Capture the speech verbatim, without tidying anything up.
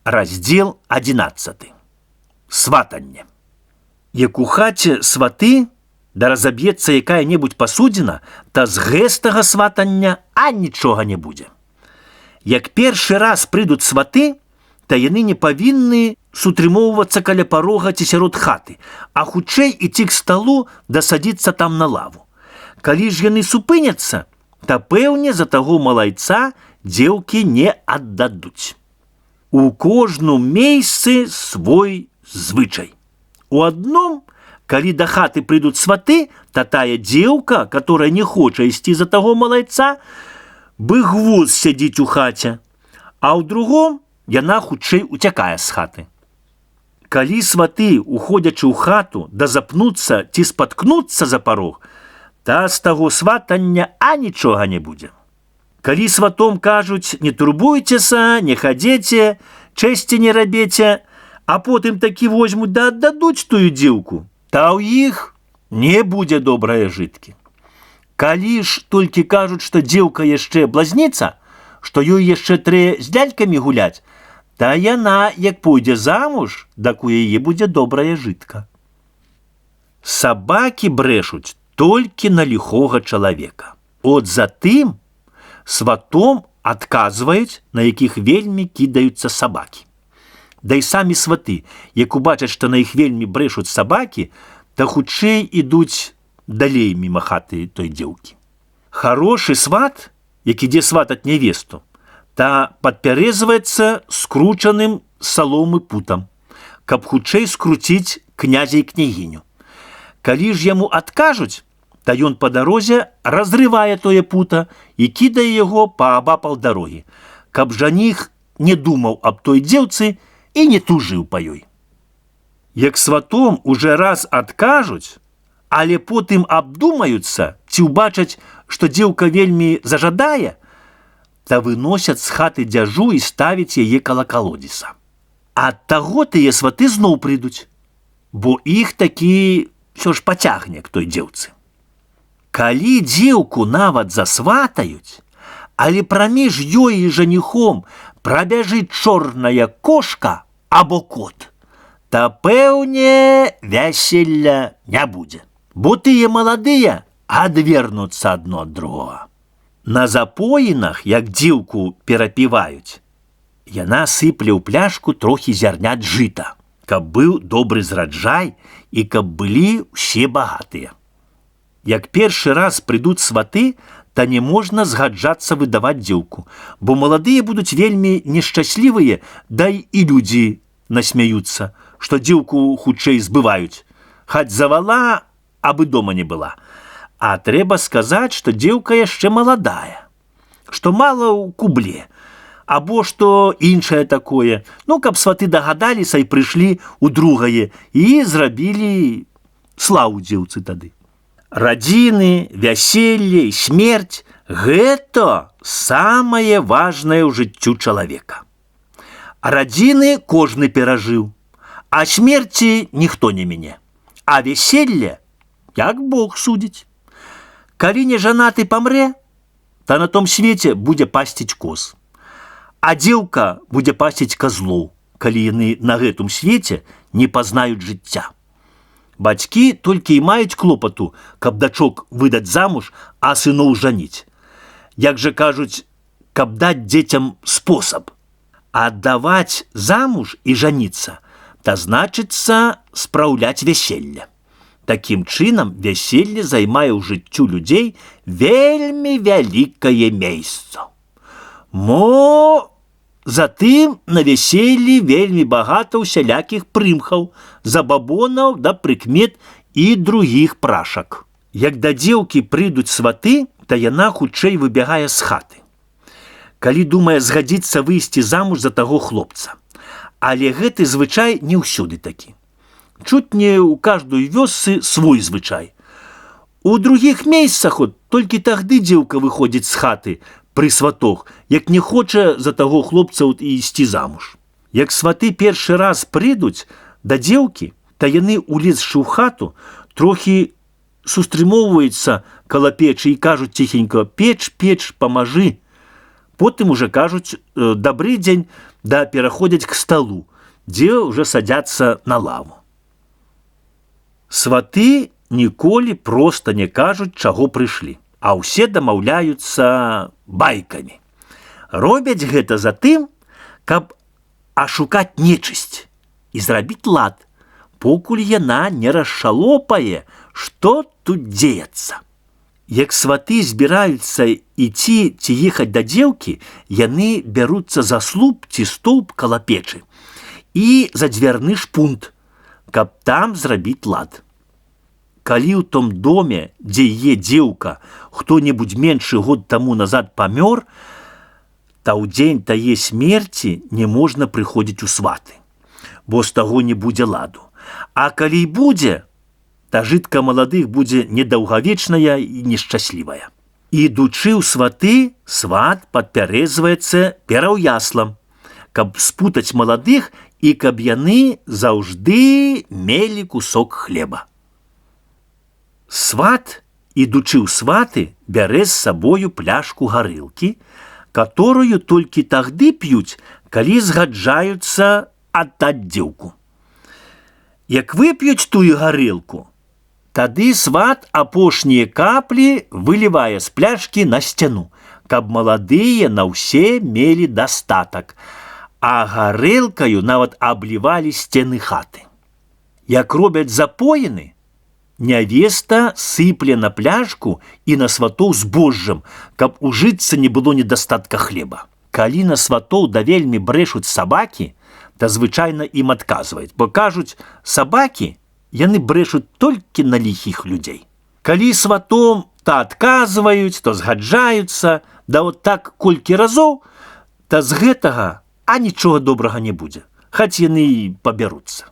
Раздзел адзінаццаты. Сватанне. Як у хаце сваты, да разаб'ецца якая-небудзь пасудзіна, та з гэтага сватання а нічога не будзе. Як першы раз прыйдуць сваты, та яны не павінны сутрымоўвацца каля парога ці сярод хаты, а хутчэй ідці к сталу да садзіцца там на лаву. Калі ж яны супыняцца, та пэўне за таго малайца дзеўкі не аддадуць. У кожным месцы свой звычай. У адном, калі да хаты прыйдуць сваты, та тая дзеўка, которая не хоча ісці за таго малайца, бы гвозд сядзіць у хаце, а ў другом яна хутчэй уцякае з хаты. Калі сваты, уходзячы ў хату, да запнуцца ці спаткнуцца за парог, та з таго сватання а нічога не будзе. Калі сватом кажуць: не турбуйцеся, не хадзеце, чэсці не рабеце, а потым такі возьмуць да аддадуць тую дзеўку, та ў іх не будзе добрае жыткі. Калі ж толькі кажуць, што дзеўка яшчэ блазніца, што ёй яшчэ трэ з лялькамі гуляць, та яна, як пойдзе замуж, дак у яе будзе добрая жытка. Сабакі брэшуць толькі на ліхога чалавека. От затым сватом адказваюць, на якіх вельмі кідаюцца сабакі. Да і самі сваты, як убачаць, што на іх вельмі брэшуць сабакі, та хутчэй ідуць далей міма хаты той дзеўкі. Харошы сват, як ідзе сватаць нявесту, та падпярэзваецца скручаным саломы путам, каб хутчэй скруціць князя і княгіню. Калі ж яму адкажуць, та ён па дарозе разрывае тое пута і кідае яго паабапал дарогі, каб жаніх не думаў аб той дзеўцы і не тужыў па ёй. Як сватом уже раз адкажуць, але потым абдумаюцца ці ўбачаць, што дзеўка вельмі зажадае, та выносяць з хаты дзяжу і ставіць яе каля калодзеса. Ад таго тыя сваты зноў прыйдуць, бо іх такі ўсё ж пацягне к той дзеўцы. Калі дзеўку нават засватаюць, але праміж ёй і жаніхом прабяжыць чорная кошка або кот, та пэўне вяселля не будзе, бо тыя маладыя адвернуцца адно ад другога. На запоінах, як дзеўку перапіваюць, яна сыпле ў пляшку трохі зярнят жыта, каб быў добры зраджай і каб былі ўсе багатыя. Як першы раз прыйдуць сваты, та не можна згаджацца выдаваць дзеўку, бо маладыя будуць вельмі нешчаслівыя, дай і людзі насмяюцца, што дзеўку хутчэй збываюць, хаць завала, абы дома не была. А трэба сказаць, што дзеўка яшчэ маладая, што мала ў кубле, або што іншае такое, ну, каб сваты дагадаліся і прыйшлі ў другае і зрабілі славу дзеўцы тады. Радзіны, вяселле і смерць – гэта самае важнае ў жыццю чалавека. Радзіны кожны перажыў, а смерці ніхто не міне. А вяселле, як Бог судзіць. Калі не жанаты памрэ, та на том свеце будзе пасціць коз. А дзеўка будзе пасціць казлоў, калі яны на гэтым свеце не пазнаюць жыцця. Бацькі толькі і маюць клопату, каб дачок выдаць замуж, а сыноў жаніць. Як жа кажуць, каб даць дзецям спосаб. Аддаваць замуж і жаніцца, та значыцца спраўляць вяселле. Такім чынам вяселле займае ў жыццю людзей вельмі вялікае месца. Мо затым на вяселлі вельмі багата ўсялякіх прымхаў, забабонаў да прыкмет і другіх прашак. Як да дзеўкі прыйдуць сваты, та яна хутчэй выбягае з хаты. Калі думае згадзіцца выйсці замуж за таго хлопца. Але гэты звычай не ўсюды такі. Чуць не ў каждой вёсцы свой звычай. У другіх месцах от толькі тагды дзеўка выходзіць з хаты пры сватох, як не хоча за таго хлопца і ісці замуж. Як сваты першы раз прыйдуць да дзеўкі, та яны, улезшы ў хату, трохі сустрымоўваюцца каля печы і кажуць ціхенька: «Печ, печ, памажы». потым уже кажуць добрый дзень, да пераходзяць к столу, дзе уже садзяцца на лаву. Сваты ніколі проста не кажуць, чаго прыйшлі, а ўсе дамаўляюцца байкамі. Робяць гэта за тым, каб ашукаць нечысць і зрабіць лад, покуль яна не расшалопае, што тут дзеецца. Як сваты збіраюцца ідці ці ехаць да дзеўкі, яны бяруцца за слуп ці столб каля печы і за дзвярны шпунт, каб там зрабіць лад. Калі ў том доме, дзе е дзеўка, хто-небудзь меншы год таму назад памёр, та ў дзень тае смерці не можна прыходзіць у сваты, бо з таго не будзе ладу. А калі і будзе, та жытка маладых будзе недаўгавечная і нешчаслівая. Ідучы ў сваты, сват падпярэзваецца пераўяслам, каб спутаць маладых і каб яны заўжды мелі кусок хлеба. Сват, ідучы ў сваты, бярэ з сабою пляшку гарэлкі, которую толькі тагды п'юць, калі згаджаюцца аддаць дзеўку. Як вып'юць тую гарэлку, тады сват апошнія каплі вылівае з пляшкі на сцяну, каб маладыя на ўсе мелі дастатак, а гарэлкаю нават аблівалі сцены хаты. Як робяць запоіны, нявеста сыпле на пляшку і на сватоў збожжам, каб у жытцы не было недастатка хлеба. Калі на сватоў да вельмі брэшуць сабакі, то звычайна ім адказваюць, бо кажуць, сабакі, яны брэшуць толькі на ліхіх людзей. Калі сватом то адказваюць, то згаджаюцца, да от так колькі разоў, то з гэтага а нічога добрага не будзе, хаць яны і пабяруцца.